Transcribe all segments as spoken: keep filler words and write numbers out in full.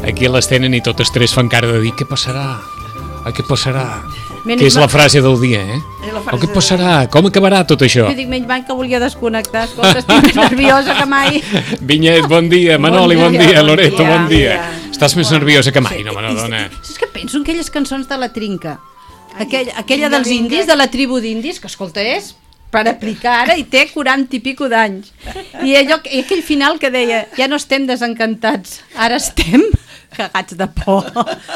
Aquí a les tenen i totes tres fan cara de dir què passarà? Ah, què passarà? Menys Que és mal- la frase del dia, eh? És la El frase què del passarà? Com acabarà tot això? Jo dic, menys mal que volia desconnectar. Escolta, estic més nerviosa que mai. Vinyet, bon dia. Manoli, bon dia, dia. bon Loreto, dia. bon dia. Bon Estàs més nerviosa que mai, no me I- n'adona. És que penso en aquelles cançons de la Trinca. Aquell, Ai, aquella vinga, dels vinga. indis, de la tribu d'indis, que escolta, és per aplicar ara i té quaranta i pico d'anys. I, allò, I aquell final que deia, ja no estem desencantats, ara estem cagats de por.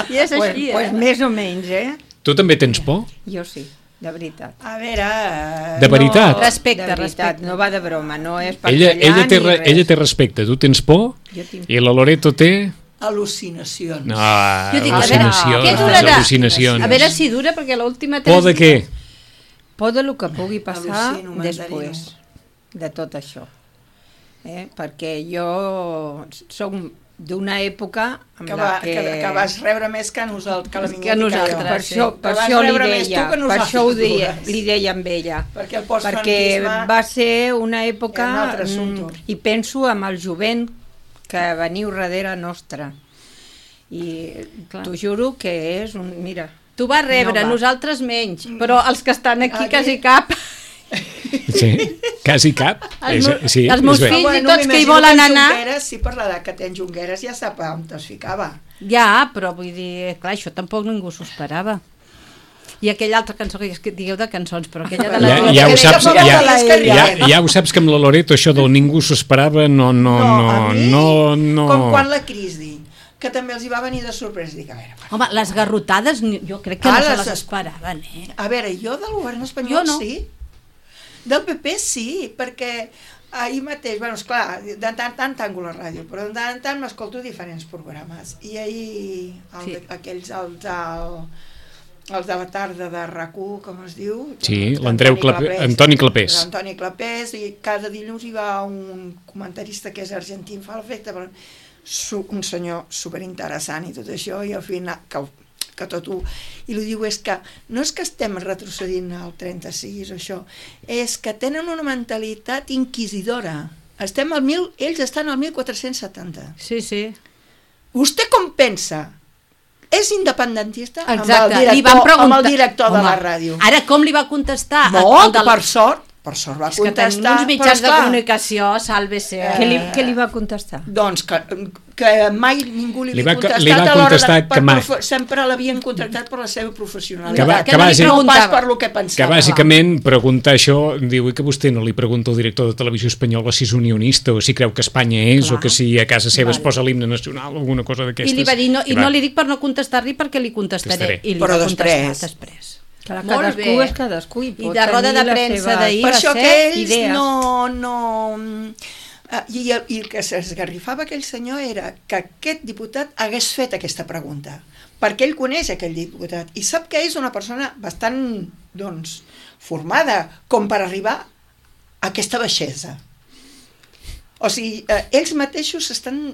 I és Pues, així, pues eh? més o menys, eh? Tu també tens por? Jo sí, de veritat. A veure... eh, De veritat? No, Respecte, de veritat, respecte. no va de broma, no és per Ella, callar ella, té, ni re- res. ella té respecte. Tu tens por? Jo tinc- I la Loreto té... Al·lucinacions. No, Jo dic, a veure, al·lucinacions. què durarà? al·lucinacions. A veure si dura, perquè l'última... Por de què? Por de lo que pugui passar Al·lucino, després de tot això. Eh? Perquè jo soc d'una època en Que, la va, que... que, que vas rebre més que nosaltres, que la Vinyet Que nosaltres, Per sí. això, per Que vas això li rebre més deia, tu que per això ho nosaltres deia, dues. li deia amb ella. Perquè el Perquè postfranquisme va ser una època, era un altre assumpte. mm, i penso amb el jovent que veniu darrere nostra. I Clar. t'ho juro que és un... Mira, Tu vas rebre, No va. nosaltres menys, però els que estan aquí Aquí. quasi cap. Sí, quasi cap. Els És, meus- sí, els meus és bé. fills- Però i tots que hi m'imagino volen en anar- Junqueras, sí, per l'edat que té en Junqueras, ja sap on es ficava. Ja, però vull dir, clar, això tampoc ningú s'ho esperava. I aquella altra cançó, que és que digueu de cançons, però aquella de la... Ja, ja, ho que saps, deia que ja, la ella. ja, ja ho saps que amb la Loreto això del ningú s'ho esperava no, no, a no, mi, no, no. com quan la crisi, que també els hi va venir de sorpresa. Dic, a veure, Home, les garrotades ni- jo crec que Ah, no se les les es- esperaven, eh? a veure, jo del govern espanyol Jo no. sí, del P P sí, perquè ahir mateix, bueno, esclar, de tant en tant tanco la ràdio, però de tant en tant m'escolto diferents programes, i ahir el, Sí. sí. aquells, els del, els de la tarda de R A C U, com es diu? Sí, l'Andreu Clapés, Antoni Clapés. Antoni Clapés, i cada dilluns hi va un comentarista que és argentí, em fa l'efecte, però su, un senyor superinteressant i tot això, i al final, que, que tot ho... I li diu, és que no és que estem retrocedint al trenta-sis o això, és que tenen una mentalitat inquisidora. Estem al mil, ells estan al mil quatre-cents setanta. Sí, sí. Vostè com pensa? És independentista? Exacte, amb el director, li van preguntar... amb el director de Home, la ràdio. Ara com li va contestar? Molt, El del- per sort, per sort va És que tenim contestar. uns mitjans però, de esclar, comunicació, sàlvese. Eh, què li, què li va contestar? Doncs que, que mai ningú li Li havia va- contestat li va a l'hora contestar de... que mai. profe- sempre l'havien contractat per la seva professionalitat. Que va- que que no li vagi- no pas preguntava. per lo que Que pensava. bàsicament preguntar això, diu que vostè no li pregunta al director de Televisió Espanyola si és unionista o si creu que Espanya és, Clar. o que si a casa seva es Vale. posa l'himne nacional o alguna cosa d'aquestes. I li va dir, no, i va. no li dic per no contestar-li perquè li contestaré. Contestaré. I li Però va després. contestar després. Clar, Molt cadascú bé. és cadascú i I pot de roda tenir de les premsa seves d'ahir Per va això ser que ells idees. no... no eh, i, el, I el que s'esgarrifava aquell senyor era que aquest diputat hagués fet aquesta pregunta, perquè ell coneix aquell diputat i sap que és una persona bastant, doncs, formada com per arribar a aquesta baixesa. O sigui, eh, ells mateixos estan...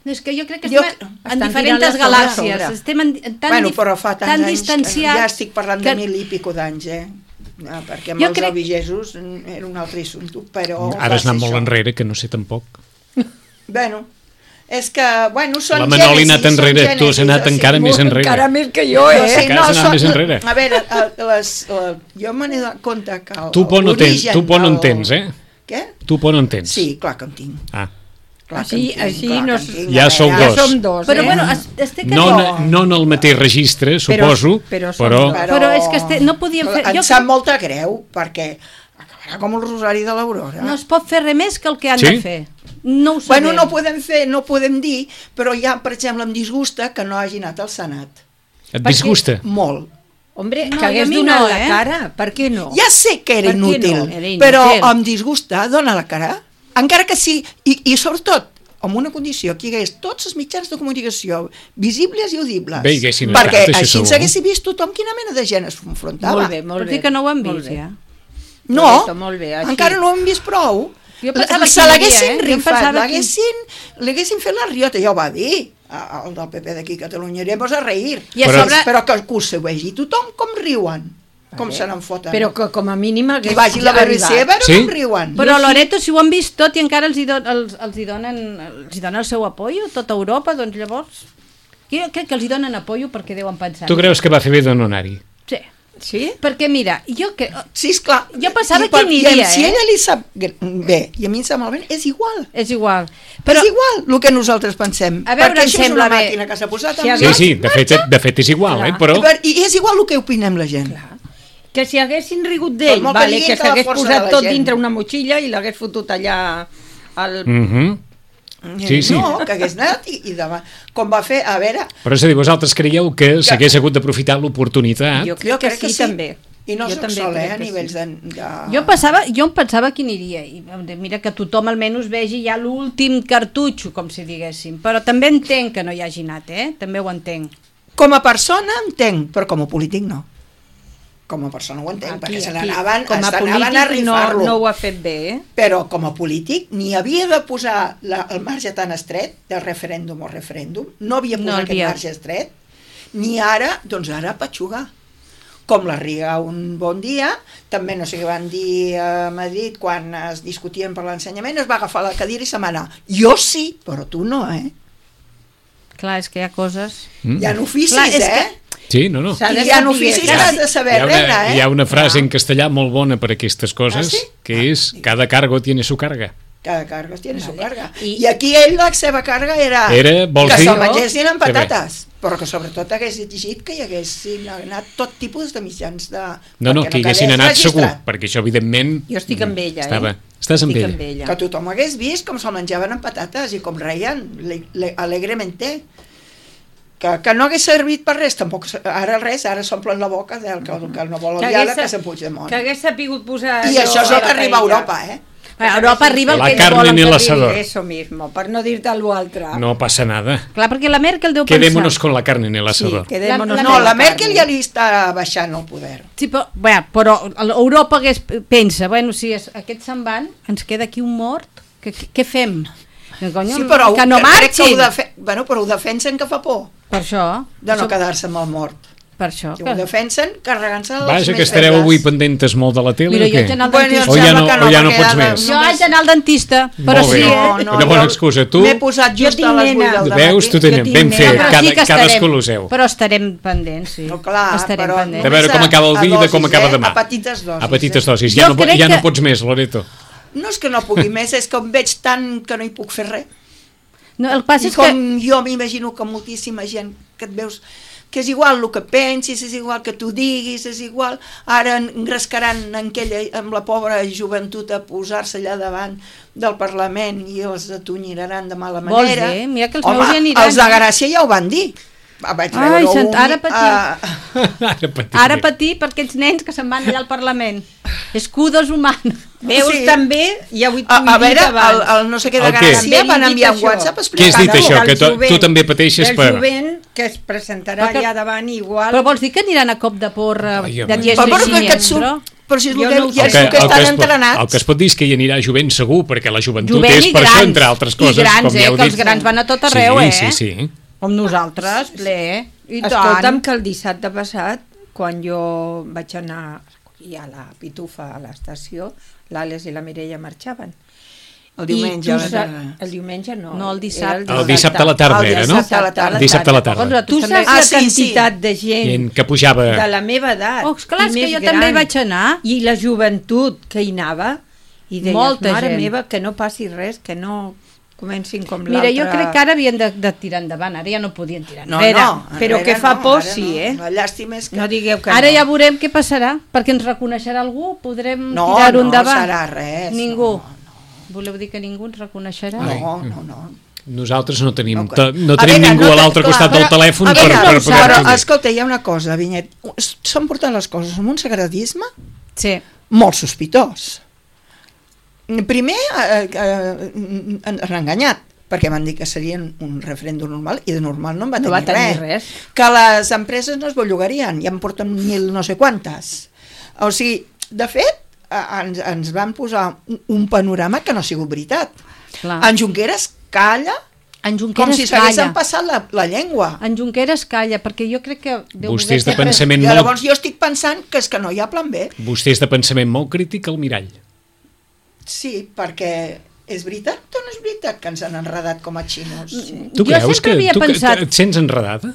No, és que jo crec que Jo- estem en estan diferents tirant la sobre galàxies. sobre. Estem en, en tan, Bueno, dif- però fa tants tan anys que distanciats. ja estic parlant que- de mil i pico d'anys, eh? Ah, perquè amb Jo els crec- albigesos era un altre assumpte, però... Ara va has anat ser molt això. enrere, que no sé tampoc. Bueno, és que, bueno, són La Manoli ha anat gènesis, són enrere, tu has gènesis, anat o sigui, encara més enrere. Encara més que jo, No, eh? sí, Que no, has anat són- més enrere. A veure, el- les, el, jo me n'he donat compte que... El, Tu por no tens, l'origen tu por no en del- tens, eh? Què? Tu por no en tens. Sí, clar que en tinc. Ah. Clar Així- que en tinc, així clar que no en s- tinc, Ja a sou veure. dos. Ja som dos, Però eh? bueno, es- estic No, no, no, no en el mateix registre, Però- suposo, però som però... dos. Però és que este- no podíem fer- Em jo sap crec- molta greu, perquè acabarà com el Rosari de l'Aurora. no es pot fer res més que el que han Sí? de fer. No ho sabem. Bueno, no podem fer, no podem dir, però ja, per exemple, em disgusta que no hagi anat al Senat. Et disgusta? Molt. Hombre, No, que i a hagués mi donat no, la eh? cara, per què no? Ja sé que era Per què inútil, no? Era inútil. però em disgusta, dona la cara. Encara que sí, i, i sobretot, amb una condició, que hi hagués tots els mitjans de comunicació visibles i audibles. Bé, hi haguessin perquè estat, això així segur. s'hagués vist tothom quina mena de gent es confrontava. Molt bé, molt Vols bé. dir que no ho hem molt vist, bé. ja? No, Correcte, molt bé, així. encara no ho hem vist prou. Jo pensava Se que hi l'haguessin havia, eh? Jo rifat, pensava que- l'haguessin l'haguessin fet la riota, ja ho va dir a- el del P P d'aquí a Catalunya, iremos a reír. I a Però- sobre... Però que, que ho vegi tothom com riuen, com Vale. se n'en foten. Però que com a mínim hagués I vagi la B B C a arribat. veure Sí? com riuen. Però Loreto, si ho han vist tot i encara els hi, don, els, els hi, donen, els hi donen el seu apoyo, tota Europa, doncs llavors... Jo crec que els hi donen apoyo perquè deuen pensar. Tu creus que va fer bé de no anar-hi? Sí. Sí? Perquè mira, jo que... Sí, esclar. Jo pensava I per- que aniria, i si eh? ella li sap bé i a mi em sap malament, és igual. És igual. Però... És igual el que nosaltres pensem. A veure, perquè em això és sembla una bé. màquina que s'ha posat Sí, en Sí, sí, de fet, de fet és igual, Clar. eh? Però... I és igual el que opinem la gent. Que si haguessin rigut Per d'ell, molt que vale, diguin que que la s'hagués força de posat la tot gent. dintre una motxilla i l'hagués fotut allà al... Mhm. Sí, sí. No, que hagués anat i, i demà. Com va fer, a veure... Però és a dir, vosaltres creieu que s'hagués hagut d'aprofitar l'oportunitat? Jo crec, que, sí, també. I no Jo soc també sol, eh, crec a que nivells sí. de... de... Jo pensava, jo em pensava que aniria i mira que tothom almenys vegi ja l'últim cartutxo, com si diguéssim, però també entenc que no hi hagi anat, eh? També ho entenc. Com a persona entenc, però com a polític no. Com a persona ho entenc, Aquí, perquè se aquí, n'anaven com a a polític no, rifar-lo. no ho ha fet bé, eh? Però com a polític ni havia de posar la, el marge tan estret del referèndum o referèndum, no havia No posat no, aquest havia. marge estret, ni ara, doncs ara patxugar. Com la Riga un bon dia, també no sé què van dir a Madrid quan es discutien per l'ensenyament, es va agafar la cadira i se m'anà. Jo sí, però tu no, eh? Clar, és que hi ha coses... Mm. Hi ha oficis, Clar, és eh? que- Sí, no, no. S'ha de I hi ha saber- oficis que Clar, has de saber Hi ha, reina, una, eh? hi ha una frase en castellà molt bona per aquestes coses, Ah, sí? que és cada cargo tiene su carga. Cada cargo tiene su Vale. carga. I- I aquí ell la seva carga era, Era, vols que dir? se'l mengessin amb Que bé. patates, però que sobretot hagués exigit que hi haguessin anat tot tipus de mitjans de... No, no, perquè que hi haguessin quedés anat segur, registrat. perquè això evidentment... Jo estic amb ella, Estava... eh? Estàs amb Estic ella. amb ella. Que tothom hagués vist com se'l menjaven amb patates i com reien le, le, alegremente. Que, que no hagués servit per res, tampoc, ara res, ara s'omplen la boca del que, que no vol el diàleg, que se'n Puigdemont. Que hagués sapigut posar... I allò això és el a que la arriba a paella. Europa, eh? A Europa arriba el La que ells carne volen en el que asador. arribi. Eso mismo, per no dir-te l'altre. No passa nada. Clar, perquè la Merkel deu Quedémonos pensar... con la carne en el Sí, asador. quedémonos La- No, con la Merkel carne. ja li està baixant el poder. Sí, però, bé, però Europa hagués, pensa, bueno, si es, aquests se'n van, ens queda aquí un mort, que, que, què fem? Que, conyo, Sí, però que no crec que ho, marxin! defe... bueno, però ho defensen que fa por Per això, de no això, quedar-se amb el mort. per això. Que ho defensen carregant-se els Vaja, més que estareu febles. avui pendentes molt de la tele Mira, o jo què? haig d'anar al Bueno, dentista. O ja sembla no- que o ja no perquè pots ara més? Jo haig d'anar al dentista, però Molt bé. sí, eh? No, no, Una bona jo excusa. Tu M'he posat just tinc a les vuit nena. del veus, tu matí. tenim Jo ben tinc fet, nena. però cada, sí que cadascú estarem, lo seu. però estarem pendents, sí. No, clar, estarem però pendents. De veure com només acaba el a- a dia i de com dosis, acaba eh? demà. A petites dosis. A petites eh? dosis. Jo Ja, no, po- crec ja no que- pots més, Loreto. No és que no pugui més, és que em veig tant que no hi puc fer res. No, el que passa I és que... com jo m'imagino que moltíssima gent que et veus que és igual el que pensis, és igual que tu diguis, és igual, ara engrescaran en aquella, amb la pobra joventut a posar-se allà davant del Parlament i els atunyiraran de mala Vols manera. dir? Mira que els Home, meus hi aniran. els de Gràcia ja ho van dir. Vaig Ai, veure sant- un, ara patim. ah, Ara patim. Ara patir per aquests nens que se'n van allà al Parlament. Escudos humanos. Veus, Sí. també, ja ho he a, a veure, el, abans. el no sé què de El què? Gràcia També van li dic enviar un això. WhatsApp Què has explicant dit això? Del Que tu, jovent- tu també pateixes del per... jovent que es presentarà Però que- allà davant igual. Però vols dir que aniran a cop de porra Ai, de home. diez Però, i però, que et surt, però... però si és el Jo que, no ho ja sé. és el que el, estan es pot, entrenats. el que es pot dir és que hi anirà jovent segur, perquè la joventut Jovent és i per grans, això, entre altres coses, i grans, com ja eh, heu que dit. els grans van a tot arreu, sí, eh? Sí, sí, sí. Com nosaltres, ple, eh? I Escolta'm, tant. que el dissabte passat, quan jo vaig anar a recollir a la Pitufa a l'estació, l'Àlex i la Mireia marxaven. El diumenge. I a tu la sa- tarda. el diumenge no. No, el dissabte. era El dissabte a la tarda El era, no? dissabte a la tarda. Dissabte a la tarda. Nosaltres Tu també. saps Ah, la sí, quantitat de gent Gent que pujava... de la meva edat Oh, esclar, i és que més jo gran, també hi vaig anar. i la joventut que hi anava i deies, Molta mare gent. meva, que no passi res, que no comencin com Mira, l'altre. jo crec que ara havien de, de tirar endavant, ara ja no podien tirar No, enrere. no, però enrere que fa no, por, ara sí, no. eh? La llàstima és que... No digueu que Ara no. ja veurem què passarà, perquè ens reconeixerà algú, podrem No, tirar-ho no endavant. serà res, Ningú. no, Voleu dir que ningú ens reconeixerà? No, no, no. Nosaltres no tenim, No, no, no a tenim veure, ningú no a te- l'altre clar, costat del però- telèfon a per, veure, per no, poder però, dir. escolta, hi ha una cosa, Vinyet. S'han portat les coses amb un sagradisme Sí. molt sospitós. Primer, eh, eh, ens han enganyat, perquè van dir que seria un referèndum normal, i de normal no en va No tenir, va tenir res. res. Que les empreses no es bellugarien, ja en porten mil no sé quantes. O sigui, de fet, eh, ens, ens van posar un, un panorama que no ha sigut veritat. Clar. En Junqueras calla En com Junqueras si s'haguessin calla. passat la, la llengua. En Junqueras calla, perquè jo crec que... deu Vostè és de voler ser pensament I molt, llavors jo estic pensant que és que no hi ha plan B. vostè és de pensament molt crític al mirall. Sí, perquè és veritat o no és veritat que ens han enredat com a xinos? Sí. Tu Jo creus sempre que havia tu que- pensat- et sents enredada?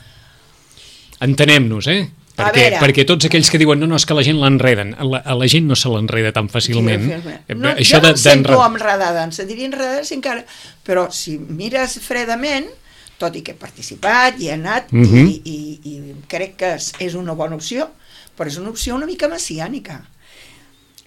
Entenem-nos, eh? A Perquè, veure. perquè tots aquells que diuen no, no, és que la gent l'enreden, a la, a la gent no se l'enreda tan fàcilment. Eh, No, Això jo no de- em sento d'enredar- enredada, em sentiria enredada si encara... Però si mires fredament, tot i que he participat i he anat, Mhm. i, i, i crec que és, és una bona opció, però és una opció una mica messiànica,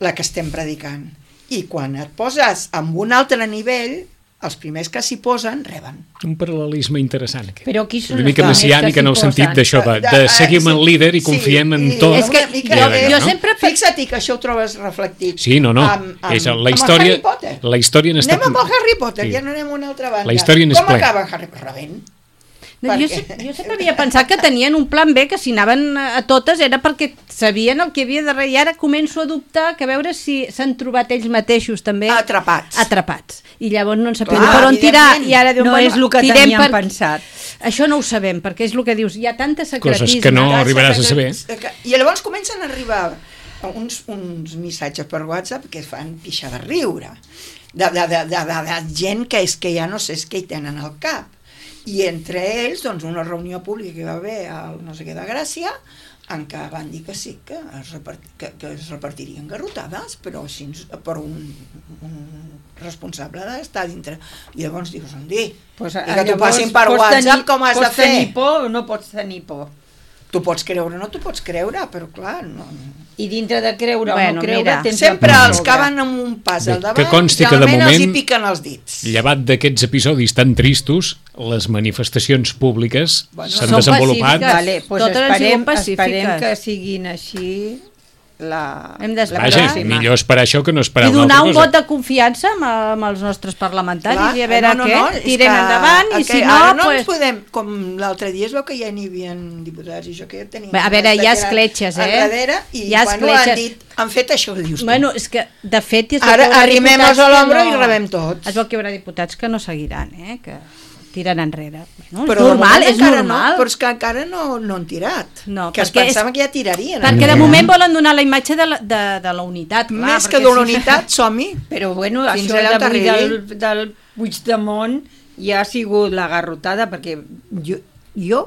la que estem predicant. I quan et poses amb un altre nivell, els primers que s'hi posen reben. Un paral·lelisme interessant, aquest. Però qui són Una mica els primers messiànic que en el s'hi sentit posen? d'això, de, de seguir amb el líder i confiem en i- tot. És que una mica jo- de- jo sempre- Fixa't que això ho trobes reflectit. Sí, no, no. Amb, amb, és la amb el història, Harry Potter. la història n'està... Anem amb el Harry Potter, Sí. ja no anem a una altra banda. La història n'és Com plena. acaba Harry Potter? Rebent. No, jo, Perquè- se- jo sempre havia pensat que tenien un plan B, que si anaven a a totes era perquè sabien el que havia darrere, i ara començo a dubtar que a veure si s'han trobat ells mateixos també Atrapats. atrapats, i llavors no en sapien Clar, per on tirar, evidentment. i ara diuen, No bueno, és el que tirem tenien per... pensat. Això no ho sabem, perquè és el que dius, hi ha tanta secretisme. Coses que no Clar, arribaràs a que- saber. que- I llavors comencen a arribar uns, uns missatges per WhatsApp que es fan pixar de riure, de, de, de, de, de, de gent que és que ja no sé què hi tenen al cap. I entre ells, doncs, una reunió pública que hi va haver al no sé què de Gràcia, en què van dir que sí, que es, repart, que, que es repartirien garrotades, però així per un, un responsable d'estar dintre. I llavors dius, on dir? Pues, I que t'ho passin per WhatsApp, com has de pots tenir fer? por o no pots tenir por? Tu pots creure o no t'ho pots creure, però clar, no... I dintre de creure Bueno, o no creure mira, tens Sempre la por els sobre. que van amb un pas Bé, al que davant, consti que de realment els hi moment- piquen els dits. Llevat d'aquests episodis tan tristos, les manifestacions públiques Bueno, s'han són desenvolupat. pacífiques. Vale, pues Totes han esperem, sigut pacífiques. esperem que siguin així la, Hem d'esperar. Vaja, pròxima. millor esperar això que no esperar I una donar altra un cosa. vot de confiança amb, amb els nostres parlamentaris Clar, i a veure no, no, què, no, és tirem que- endavant i que si no, ara no pues... ens podem, com l'altre dia es veu que ja n'hi havia diputats i això que ja tenim. Bé, a veure, hi ha escletxes, eh? Enrere, i Hi ha bueno, escletxes. han dit, han fet això que dius tu. Bueno, és que, de fet... es veu Ara que hi haurà arrimem-nos diputats a que l'ombra i rebem tots. Es veu que hi haurà diputats que no seguiran, eh? Que tiren enrere. Bueno, Però és de normal, moment és encara normal. No, però és que encara no, no han tirat. No, que es perquè és- pensaven que ja tirarien. Perquè de enrere. moment volen donar la imatge de la, de, de la unitat. Clar, Més que perquè de la si- unitat, som-hi. Però bueno, Fins això allà on d'avui t'arribi. del, del Puigdemont ja ha sigut la garrotada, perquè jo, jo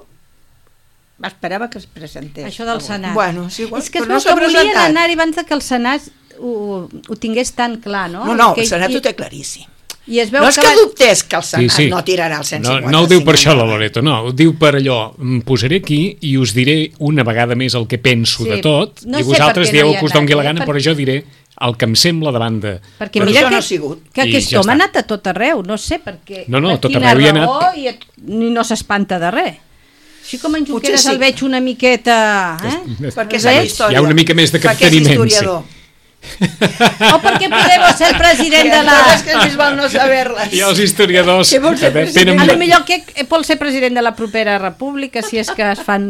esperava que es presentés. Això del Senat. Bueno, és igual, és que es però veu no s'ha que volien presentat. anar abans de que el Senat ho, ho tingués tan clar, no? No, no, que, el Senat i, ho té claríssim. I es veu No és que... que va- dubtés que el Senat Sí, sí. no tirarà el cent No, cinquanta-cinc. no ho diu per això la endavant. Loreto, no, ho diu per allò, em posaré aquí i us diré una vegada més el que penso Sí, de tot, no i sé vosaltres per què no dieu hi el ha que us doni anat, la eh? gana, Per- però jo diré el que em sembla davant de... Perquè Però mira això que, no ha sigut. que I aquest ja home ha està. anat a tot arreu, no sé per què. No, no, per a tot quina arreu hi ha raó, anat. I, et- ni no s'espanta de res. Així com en Potser Junqueras sí. el veig una miqueta... Eh? Perquè Veig? sap història. Hi ha una mica més de Perquè és capteniment, sí. historiador. O perquè Podemos ser el president de la... Coses que més val no saber-les. I els historiadors Què vols ser tenen... A lo millor que vol ser president de la propera república, si és que es fan...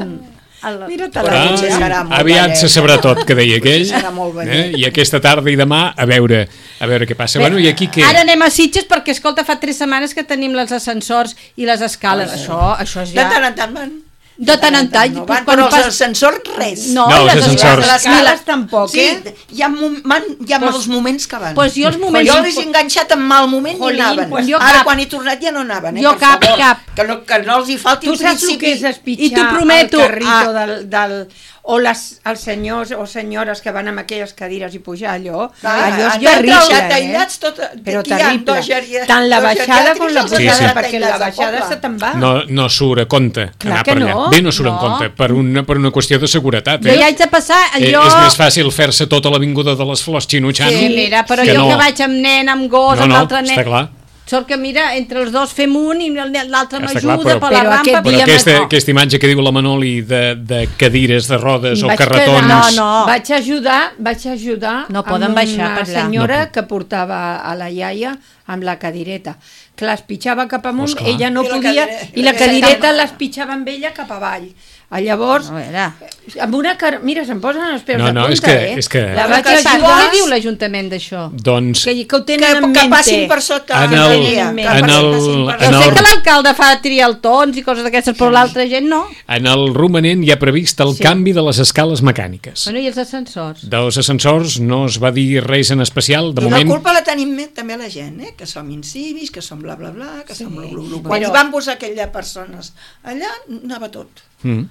El... Mira-te Però la Ah, potser serà molt aviat vellet. se sabrà tot, que deia aquell. Potser serà molt eh? vellet. I aquesta tarda i demà, a veure a veure què passa. Bé, Bueno, i aquí què? Ara anem a Sitges perquè, escolta, fa tres setmanes que tenim els ascensors i les escales. Això, això és De ja... tant en tant van. De tant en tant. No van, quan però els pas- ascensors res. No, No, i els les ascensors. escales- Les escales tampoc, Sí, eh? hi ha, mom- van, hi ha Pues- mals moments que van. pues jo els moments- Jo els he enganxat en mal moment Jolín, i anaven. pues jo Ara cap. quan he tornat ja no anaven. Eh, Jo per cap, favor. cap. Que no, que no els hi falti Tu el saps el principi. que és espitxar I t'ho prometo, el carrito ah. del, del, o les, els senyors o senyores que van amb aquelles cadires i pujar allò, Clar, allò és han d'entrar terrible, aïllats tot- eh? Però aquí hi ha terrible. dos geri- Tant la dos baixada com la geriàtrics i pujada, els perquè la aïllats al baixada poble. se te'n va. No, no surt a compte Clar anar que per allà. no. Bé, no surt No. en compte, per una, per una qüestió de seguretat. Jo Eh? ja haig de passar, Eh, jo... és més fàcil fer-se tota l'avinguda de les Flors xinutxant Sí, mira, però que jo no. que vaig amb nen, amb gos, No, amb no, l'altre nen... està clar. Sort que, mira, entre els dos fem un i l'altre Està m'ajuda clar, però- per la Però rampa. aquest Però dia aquesta, m'ha- aquesta imatge que diu la Manoli de, de cadires de rodes o Vaig carretons... quedar- No, no. Vaig ajudar, vaig ajudar No poden amb baixar una per allà. senyora No. que portava a la iaia amb la cadireta. Clar, es pitjava cap amunt, Esclar. ella no I la podia, cadire- i la la cadireta cadireta- les pitjava amb ella cap avall. A llavors, A veure. amb una car... Mira, se'm posen els peus No, de no, punta, és que- eh? és que- La vaig Què passa? ajudar... Què diu l'Ajuntament d'això? Doncs Que, que ho Que, tenen en que mente. passin per sota. En que el- diria, en que el- passin per en Jo sota. sé el- que l'alcalde fa trialtons i coses d'aquestes, però l'altra gent no. en el romanent hi ha previst el Sí. canvi de les escales mecàniques. Bueno, i els ascensors? Dels ascensors no es va dir res en especial, de I la moment... culpa la tenim també la gent, eh? Que som incivis, que som bla bla bla, que som bla bla bla. Quan Però- hi van posar aquelles persones allà, anava tot. Mm.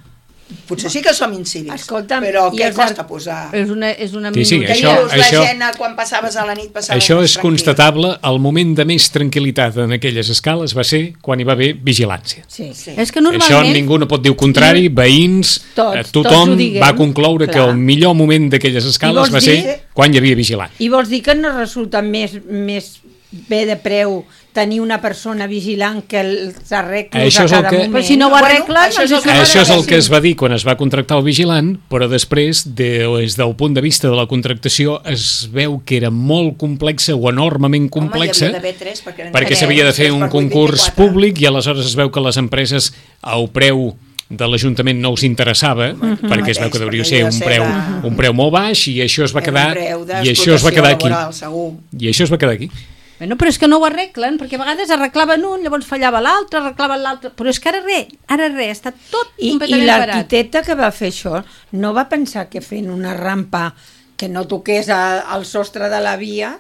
Potser sí que som incivis, Escolta'm, però i què els costa ar- posar? És una, és una Sí, sí, minoria. això- Dius, la això- gent, quan passaves a la nit, passaves Això més és tranquil. constatable, el moment de més tranquil·litat en aquelles escales va ser quan hi va haver vigilància. Sí. Sí. És que Això normalment... ningú no pot dir el contrari, veïns, Tots, eh, tots tothom ho diguem, va concloure que clar. el millor moment d'aquelles escales vols va dir- ser quan hi havia vigilant. I vols dir que no resulta més, més bé de preu tenir una persona vigilant que els arreglos Això a és el cada que- moment? Però si no ho Bueno, arreglen... això és el que- Això és el que sí. es va dir quan es va contractar el vigilant, però després, de, des del punt de vista de la contractació, es veu que era molt complexa o enormement complexa, Home, hi havia d'haver tres, perquè eren perquè tres, s'havia de fer tres un per vuit, concurs vint-i-quatre. públic i aleshores es veu que les empreses au preu de l'Ajuntament no els interessava, perquè es veu que deuria perquè ser devia un ser preu, de- un preu molt baix i això es va Era quedar un preu i això es va quedar aquí. laboral, segur. I això es va quedar aquí. Bueno, però és que no ho arreglen, perquè a vegades arreglaven un, llavors fallava l'altre, arreglaven l'altre, però és que ara res, ara res, està tot I, i completament parat. l'arquitecte que va fer això no va pensar que fent una rampa que no toqués a, al sostre de la via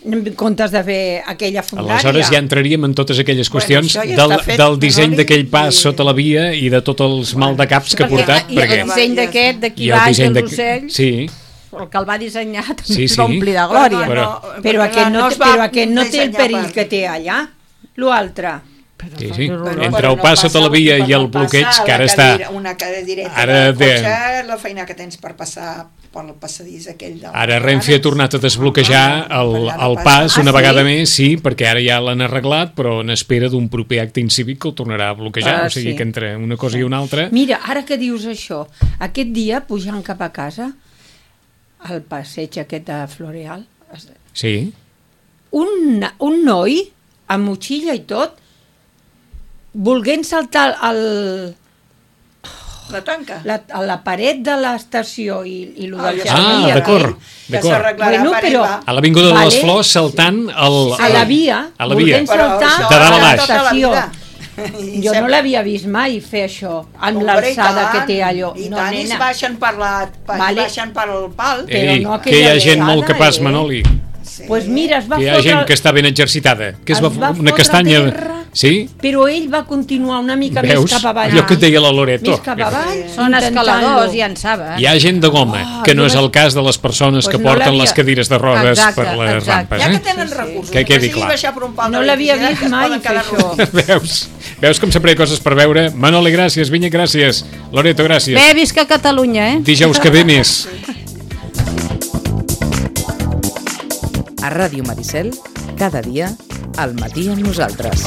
en comptes de fer aquella fundària. Aleshores ja entraríem en totes aquelles qüestions això ja del, està fet, del disseny Manoli, d'aquell pas i- sota la via i de tots els maldecaps que ha portat. I perquè... el disseny d'aquest, d'aquí i el baix, disseny dels de- ocells, Sí, el que el va dissenyar també Sí, es va sí. omplir de glòria. Però- Però perquè aquest no, es té, va però aquest no té el dissenyar perill per- que té allà. L'altre. sí, sí. Però Entre per el no pas sota la passar- via per i el no bloqueig, passar que ara la està... cadira- Una cadireta Ara de de- cotxe, la feina que tens per passar pel passadís aquell de... Ara Renfe ha tornat a desbloquejar el, el pas una Ah, sí? vegada més, sí, perquè ara ja l'han arreglat, però en espera d'un proper acte incívic que el tornarà a bloquejar, Ah, o sigui sí. que entre una cosa i una altra... Mira, ara que dius això, aquest dia, pujant cap a casa, al passeig aquest de Floreal, Sí, un, un noi, amb motxilla i tot, volent saltar el, La tanca. la, a la paret de l'estació i, i lo Ah, del ja Ah, jardí d'acord, aquell, Que d'acord. s'arreglarà Bueno, per però- ell, va. A l'Avinguda de les Vale. Flors saltant el, a la via, a la via. volent saltar això De dalt a a baix. tota la l'estació. vida. I Jo no sempre- l'havia vist mai fer això, amb Hombre, l'alçada i que tant, té allò. I No, tant, i es nena, baixen per, la, per, Vale. baixen per el pal. però Ei, no que hi ha aquella gent molt vegada, capaç, eh? Manoli. Sí. pues mira, es va Que hi ha fotre... gent que està ben exercitada. Que es es va, va una fotre castanya... a terra. Sí? Però ell va continuar una mica Veus? més cap avall. Allò que et deia la Loreto. Més cap avall. Són intentant-lo. escaladors, ja en saben. Hi ha gent de goma, Oh, que no jo és vaig- el cas de les persones Pues que no porten l'havia- les cadires de rodes Exacte, per les exacte. rampes. Ja que Eh? tenen Sí, sí. recursos, Que quedi sigui clar. baixar per un pal No de l'havia electricitat, vist que es mai poden fer quedar això. rodons. Veus? Veus com sempre hi ha coses per veure? Manoli, gràcies. Vinya, gràcies. Loreto, gràcies. Bé, visca Catalunya, eh? Dijous que ve més. A Ràdio Maricel, cada dia, al matí amb nosaltres.